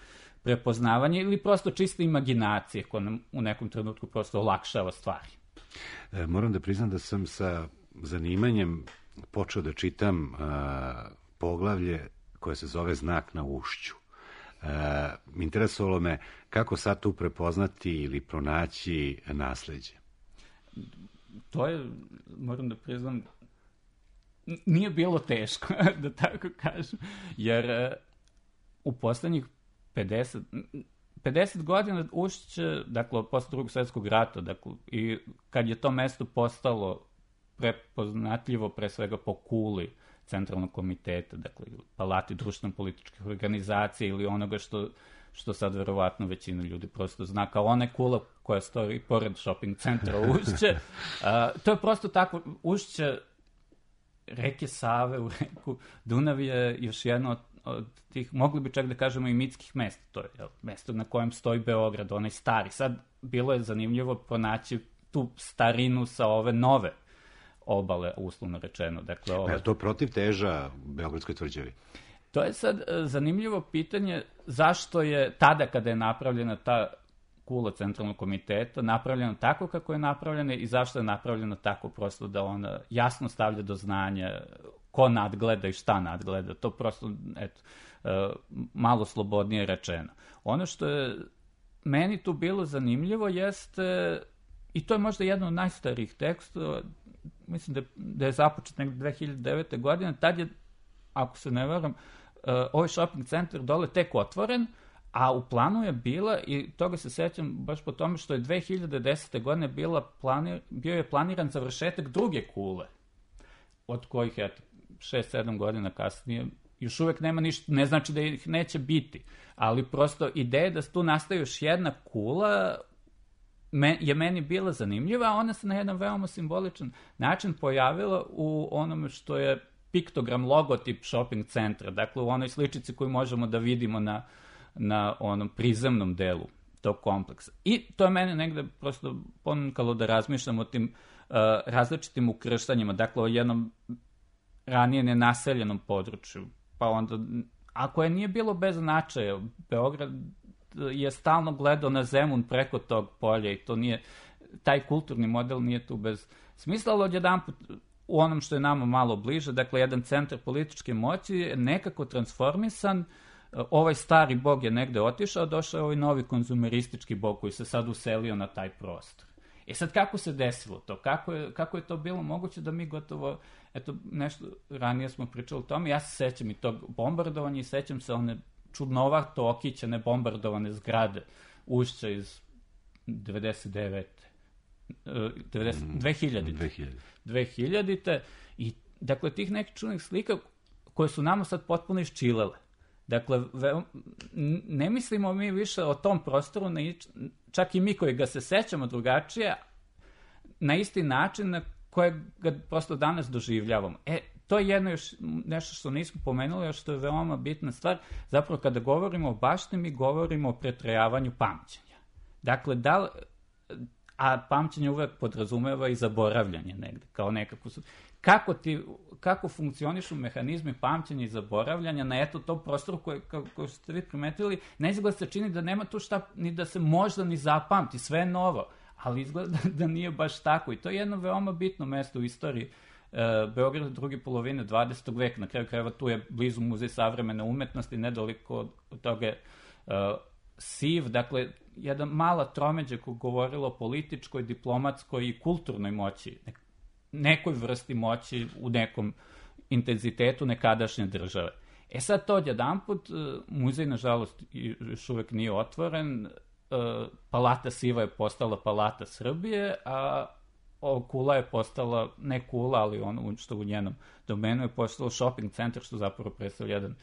prepoznavanja ili prosto čiste imaginacije koja nam u nekom trenutku prosto olakšava stvari. E, moram da priznam da sam sa zanimanjem počeo da čitam a, poglavlje koje se zove Znak na ušću. E, interesovalo me kako sad tu prepoznati ili pronaći nasleđe. To je, moram da priznam, nije bilo teško, da tako kažem, jer u poslednjih pedeset, pedeset godina Ušće, dakle, posle drugog svjetskog rata, dakle, i kad je to mesto postalo prepoznatljivo pre svega po kuli centralnog komiteta, dakle, palati društveno-političkih organizacija ili onoga što, što sad verovatno većina ljudi prosto zna kao one kula koja stoji pored shopping centra Ušće. A, to je prosto tako, Ušće reke Save u reku Dunav je još jedno od, od tih, mogli bi čak da kažemo i mitskih mesta. To je jel, mesto na kojem stoji Beograd, onaj stari. Sad bilo je zanimljivo pronaći tu starinu sa ove nove obale, uslovno rečeno. Dakle, ove... Je to protiv teža Beogradskoj tvrđavi? To je sad zanimljivo pitanje zašto je tada kada je napravljena ta kula Centralnog komiteta napravljena tako kako je napravljena i zašto je napravljena tako prosto da ona jasno stavlja do znanja ko nadgleda i šta nadgleda. To prosto, eto, malo slobodnije rečeno. Ono što je meni tu bilo zanimljivo jeste, i to je možda jedan od najstarijih tekstova, mislim da je, da je započet nekde dve hiljade devete. godine, tad je, ako se ne varam, ovaj shopping centar dole tek otvoren, a u planu je bila, i toga se sećam baš po tome što je dve hiljade desete. godine bila planir, bio je planiran završetak druge kule, od kojih, eto, šest sedam godina kasnije, još uvek nema ništa, ne znači da ih neće biti, ali prosto ideja da tu nastaje još jedna kula me, je meni bila zanimljiva, a ona se na jedan veoma simboličan način pojavila u onome što je piktogram, logotip shopping centra, dakle u onoj sličici koju možemo da vidimo na, na onom prizemnom delu tog kompleksa. I to je mene negde prosto ponukalo da razmišljam o tim uh, različitim ukrštanjima, dakle o jednom ranije nenaseljenom području, pa onda, ako je nije bilo bez značaja, Beograd je stalno gledao na Zemun preko tog polja i to nije, taj kulturni model nije tu bez smisla, ali odjedanput u onom što je nama malo bliže, dakle jedan centar političke moći je nekako transformisan, ovaj stari bog je negde otišao, došao je ovaj novi konzumeristički bog koji se sad uselio na taj prostor. E sad, kako se desilo to? Kako je, kako je to bilo moguće da mi gotovo, eto, nešto ranije smo pričali o tome, ja se sećam i tog bombardovanja i sećam se one čudnovato okićene bombardovane zgrade Ušća iz devedeset devete. devedeset, dve hiljadite. dve hiljadite. I, dakle, tih nekih čudnih slika koje su nama sad potpuno iščilele. Dakle, ve, ne mislimo mi više o tom prostoru, ne, čak i mi koji ga se sećamo drugačije, na isti način na koje ga prosto danas doživljavamo. E, to je jedno još nešto što nismo pomenuli, još što je veoma bitna stvar. Zapravo, kada govorimo o baštini, mi govorimo o pretrajavanju pamćenja. Dakle, da li, a pamćenje uvek podrazumeva i zaboravljanje negde, kao nekako su... Kako, ti, kako funkcionišu mehanizmi pamćenja i zaboravljanja na eto tom prostoru koje, kao, kao ste vi primetili, ne izgleda se čini da nema tu šta, ni da se možda ni zapamti, sve je novo, ali izgleda da nije baš tako i to je jedno veoma bitno mesto u istoriji e, Beograda druge polovine dvadesetog veka, na kraju krajeva tu je blizu Muzej savremene umetnosti, nedaliko od toga je e, S I V, dakle, jedna mala tromeđa koja govorila o političkoj, diplomatskoj i kulturnoj moći, nekoj vrsti moći u nekom intenzitetu nekadašnje države. E sad to odjedanput, muzej, nažalost, još uvek nije otvoren, Palata Siva je postala Palata Srbije, a Kula je postala, ne Kula, ali ono što u njenom domenu je postalo shopping centar, što zapravo predstavlja jedan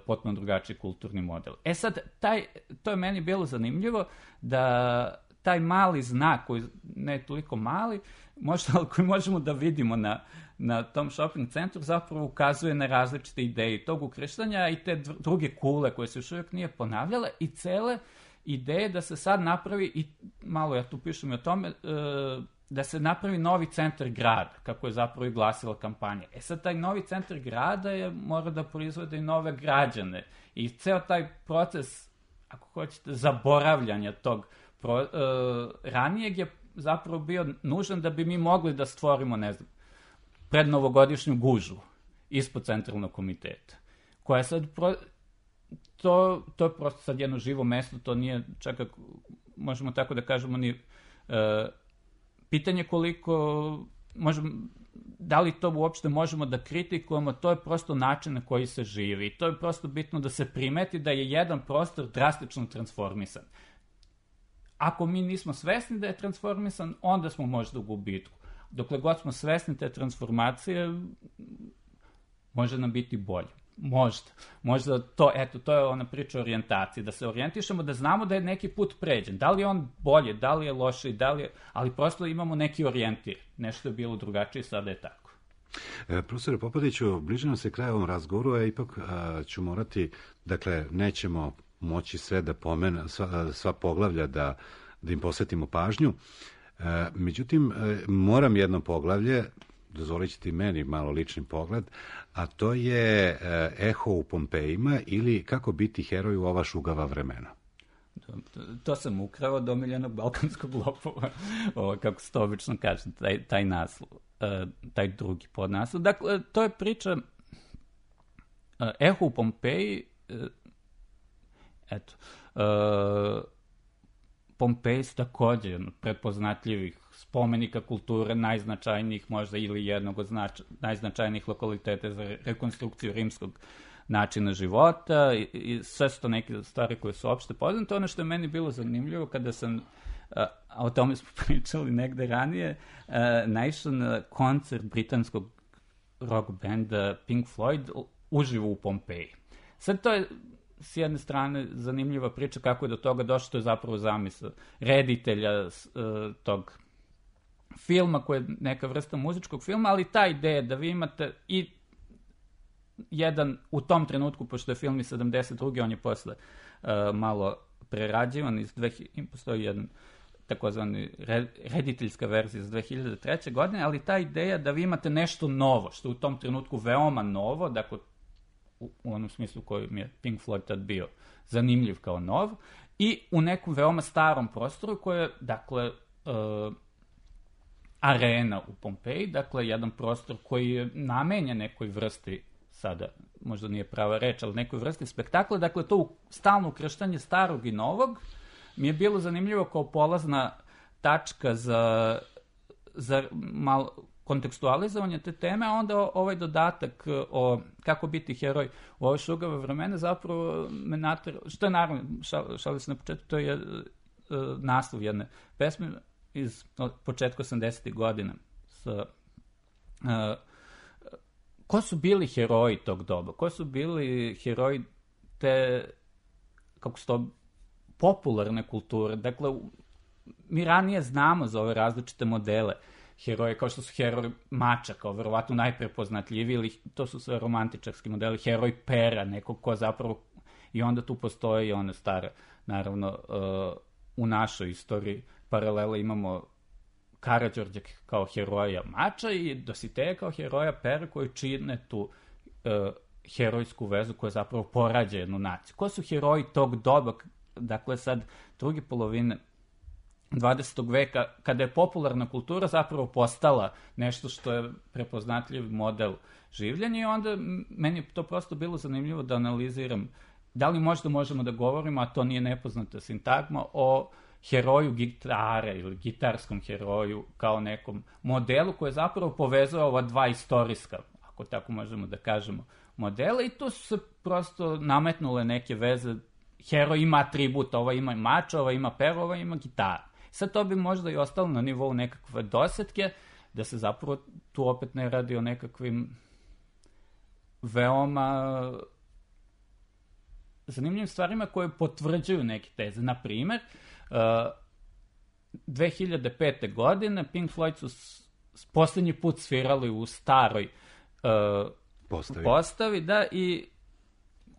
potpuno drugačiji kulturni model. E sad, taj, to je meni bilo zanimljivo, da taj mali znak, koji ne je toliko mali, možda, ali koji možemo da vidimo na, na tom shopping centru, zapravo ukazuje na različite ideje tog ukrštanja i te druge kule koje se još uvijek nije ponavljale i cele ideje da se sad napravi, i malo ja tu pišem i o tome, da se napravi novi centar grada, kako je zapravo i glasila kampanja. E sad, taj novi centar grada je, mora da proizvode i nove građane. I ceo taj proces, ako hoćete, zaboravljanja tog pro, uh, ranijeg je zapravo bio nužan da bi mi mogli da stvorimo, ne znam, prednovogodišnju gužvu ispod Centralnog komiteta, koja je sad... Pro, to, to je prosto sad jedno živo mesto, to nije čak, možemo tako da kažemo, ni... Uh, pitanje koliko, možemo, da li to uopšte možemo da kritikujemo, to je prosto način na koji se živi. I to je prosto bitno da se primeti da je jedan prostor drastično transformisan. Ako mi nismo svesni da je transformisan, onda smo možda u gubitku. Dokle god smo svesni te transformacije, može nam biti bolje. Možda. Možda to, eto, to je ona priča o orijentaciji, da se orijentišemo, da znamo da je neki put pređen. Da li je on bolje, da li je loše, da li je... ali prosto imamo neki orijentir. Nešto je bilo drugačije, sada je tako. E, profesore Popadiću, bliže nam se kraj ovom razgovoru, a ipak a, ću morati, dakle, nećemo moći sve da pomena, sva, sva poglavlja da, da im posvetimo pažnju. E, međutim, e, moram jedno poglavlje, dozvolit ćete meni malo lični pogled, a to je e, Eho u Pompejima ili Kako biti heroj u ova šugava vremena. To, to sam ukrao od omiljenog balkanskog lopova, ovo, kako se to obično kaže, taj, taj naslov, uh, taj drugi podnaslov. Dakle, to je priča uh, Eho u Pompeji, uh, eto, uh, Pompeji su također jedno prepoznatljivih spomenika kulture, najznačajnijih možda ili jednog od znač, najznačajnijih lokaliteta za rekonstrukciju rimskog načina života i, i sve su to neke stvari koje su opšte poznate. Ono što je meni bilo zanimljivo kada sam, a, a o tome smo pričali negde ranije, a, naišao na koncert britanskog rock benda Pink Floyd uživo u Pompeji. Sad to je s jedne strane zanimljiva priča kako je do toga došlo, to je zapravo zamisao reditelja uh, tog filma koji je neka vrsta muzičkog filma, ali ta ideja da vi imate i jedan, u tom trenutku, pošto je film iz sedamdeset druge on je posle uh, malo prerađivan, iz dve hiljade postoji jedan takozvani rediteljska verzija iz dve hiljade treće godine, ali ta ideja da vi imate nešto novo, što je u tom trenutku veoma novo, dakle u, u onom smislu kojim je Pink Floyd tad bio zanimljiv kao nov, i u nekom veoma starom prostoru koji je, dakle, uh, arena u Pompeji, dakle, jedan prostor koji je namenjen nekoj vrsti, sada možda nije prava reč, ali nekoj vrsti spektakla, dakle, to stalno ukrštanje starog i novog mi je bilo zanimljivo kao polazna tačka za, za malo kontekstualizovanje te teme, a onda ovaj dodatak o kako biti heroj u ove šugave vremena zapravo me natera, što je naravno, šal, šali se na početku, to je uh, naslov jedne pesme iz od početka osamdesetih godina. Sa, uh, ko su bili heroji tog doba? Ko su bili heroji te, kako se to, popularne kulture? Dakle, mi ranije znamo za ove različite modele heroje, kao što su heroj mača, kao verovatno najprepoznatljiviji, ili to su sve romantičarski modeli, heroj pera, nekog ko zapravo, i onda tu postoji i one stare, naravno, uh, u našoj istoriji paralela imamo Karađorđa kao heroja mača i Dositeja kao heroja pera koji čine tu uh, herojsku vezu koja zapravo porađa jednu naciju. Ko su heroji tog doba, dakle sad druge polovine dvadesetog veka, kada je popularna kultura zapravo postala nešto što je prepoznatljiv model življenja, i onda meni je to prosto bilo zanimljivo da analiziram da li možda možemo da govorimo, a to nije nepoznata sintagma, o heroju gitare ili gitarskom heroju kao nekom modelu koji je zapravo povezao ova dva istorijska, ako tako možemo da kažemo, modela, i tu su se prosto nametnule neke veze. Heroj ima atribut, ova ima mač, ova ima pero, ova ima gitaru. Sad to bi možda i ostalo na nivou nekakve dosetke, da se zapravo tu opet ne radi o nekakvim veoma zanimljivim stvarima koje potvrđuju neke teze. Na primer, uh, dve hiljade pete. godine Pink Floyd su s, s posljednji put svirali u staroj uh, postavi. postavi, da, i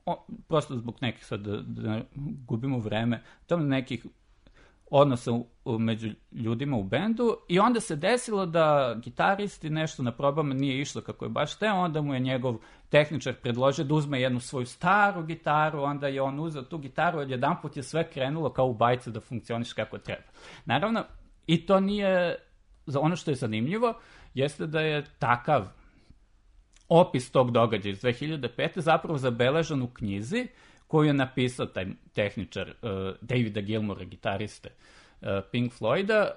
o, prosto zbog nekih, sad da, da gubimo vreme, tamo nekih odnosa u, u, među ljudima u bendu, i onda se desilo da gitaristi nešto na probama nije išlo kako je baš te, onda mu je njegov tehničar predložio da uzme jednu svoju staru gitaru, onda je on uzeo tu gitaru, od jedan put je sve krenulo kao u bajce da funkcioniš kako treba. Naravno, i to nije, za ono što je zanimljivo, jeste da je takav opis tog događaja iz dve hiljade pete. zapravo zabeležen u knjizi koju je napisao taj tehničar uh, Davida Gilmoura, gitariste uh, Pink Floyda,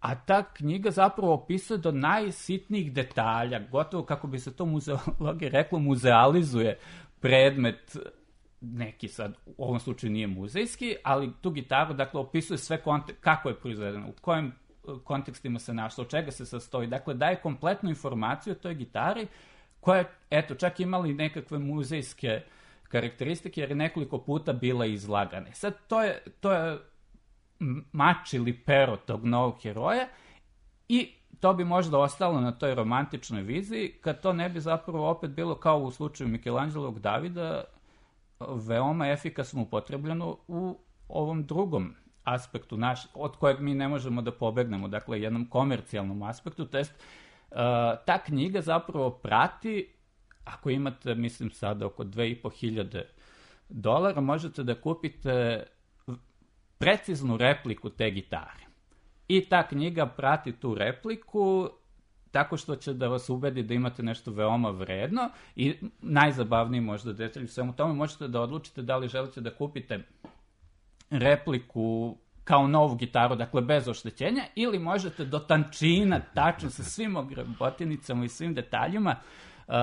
a ta knjiga zapravo opisuje do najsitnijih detalja, gotovo kako bi se to muzeologija reklo, muzealizuje predmet, neki sad, u ovom slučaju nije muzejski, ali tu gitaru, dakle, opisuje sve kontek- kako je proizvedeno, u kojim kontekstima se našlo, od čega se sastoji, dakle, daje kompletnu informaciju o toj gitari, koja je, eto, čak imali nekakve muzejske karakteristike, jer je nekoliko puta bila izlagane. Sad, to je, to je mač ili pero tog novog heroja, i to bi možda ostalo na toj romantičnoj viziji, kad to ne bi zapravo opet bilo kao u slučaju Mikelanđelovog Davida, veoma efikasno upotrebljeno u ovom drugom aspektu naš, od kojeg mi ne možemo da pobegnemo, dakle jednom komercijalnom aspektu, to jest uh, ta knjiga zapravo prati, ako imate, mislim sada oko dve i po hiljade dolara, možete da kupite preciznu repliku te gitare. I ta knjiga prati tu repliku tako što će da vas ubedi da imate nešto veoma vredno i najzabavniji možda detalj u svemu tome, možete da odlučite da li želite da kupite repliku kao novu gitaru, dakle bez oštećenja, ili možete do tančina, tačno sa svim ograbotinicama i svim detaljima, uh,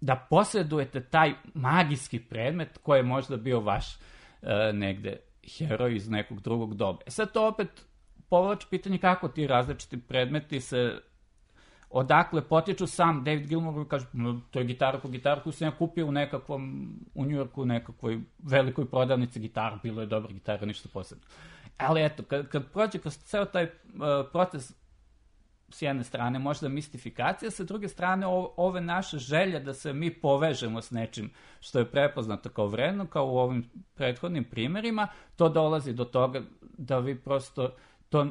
da posjedujete taj magijski predmet koji je možda bio vaš uh, negde heroj iz nekog drugog doba. E sad to opet povlači pitanje kako ti različiti predmeti se, odakle potiču. Sam David Gilmour kaže, to je gitara po gitaru koju sam ja kupio u nekakvom, u Njujorku, u nekakvoj velikoj prodavnici gitara, bilo je dobra gitara, ništa posebno. Ali eto, kad, kad prođe kroz ceo taj uh, proces, s jedne strane možda mistifikacija, sa druge strane o, ove naše želje da se mi povežemo s nečim što je prepoznato kao vredno, kao u ovim prethodnim primerima, to dolazi do toga da vi prosto to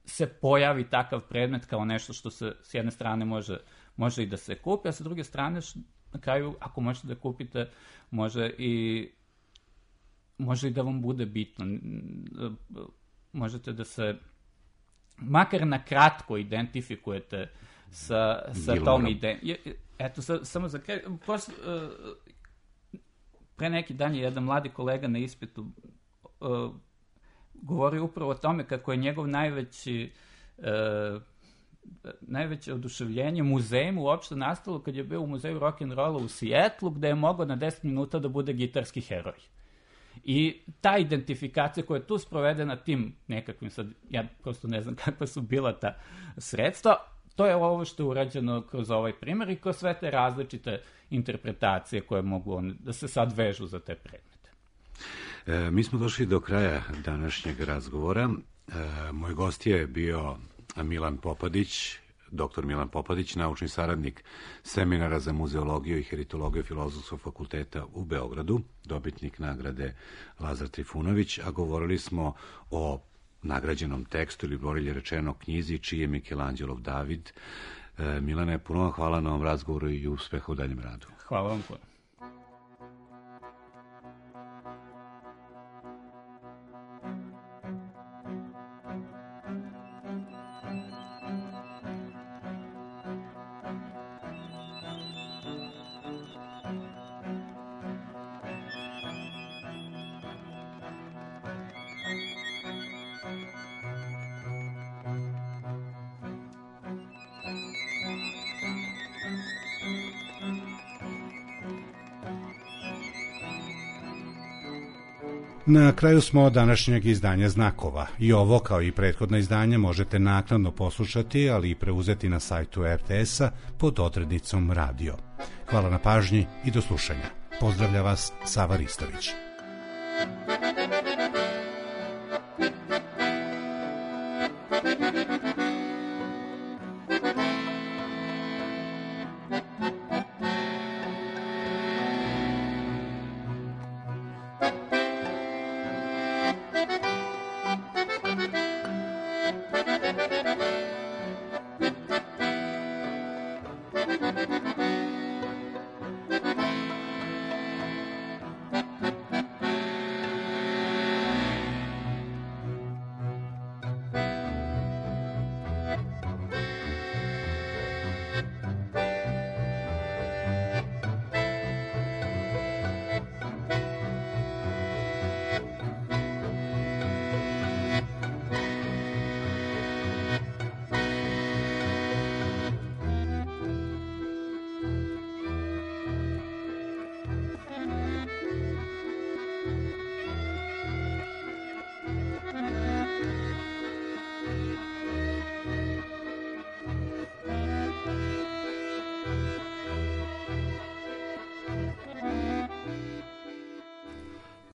se pojavi takav predmet kao nešto što se s jedne strane može, može i da se kupi, a sa druge strane na kraju ako možete da kupite može i može i da vam bude bitno. Možete da se makar na kratko identifikujete sa, sa tom idejom. Eto, sa, samo za kraj, posle, uh, pre neki dan je jedan mladi kolega na ispitu uh, govori upravo o tome kako je njegov najveći uh, najveće oduševljenje muzejem uopšte nastalo kad je bio u muzeju rock'n'rolla u Sijetlu, gde je mogao na deset minuta da bude gitarski heroj. I ta identifikacija koja je tu sprovedena tim nekakvim, sad ja prosto ne znam kakva su bila ta sredstva, to je ovo što je urađeno kroz ovaj primer i kroz sve te različite interpretacije koje mogu on, da se sad vežu za te predmete. E, mi smo došli do kraja današnjeg razgovora. E, moj gost je bio Milan Popadić, doktor Milan Popadić, naučni saradnik Seminara za muzeologiju i heritologiju Filozofskog fakulteta u Beogradu, dobitnik nagrade Lazar Trifunović, a govorili smo o nagrađenom tekstu ili bolje rečeno knjizi čiji je Mikelanđelov David. E, Milane, puno vam hvala na ovom razgovoru i uspeha u daljem radu. Hvala vam puno. Na kraju smo današnjeg izdanja Znakova. I ovo, kao i prethodna izdanja, možete naknadno poslušati, ali i preuzeti na sajtu er te es-a pod odrednicom radio. Hvala na pažnji i do slušanja. Pozdravlja vas Sava Ristović.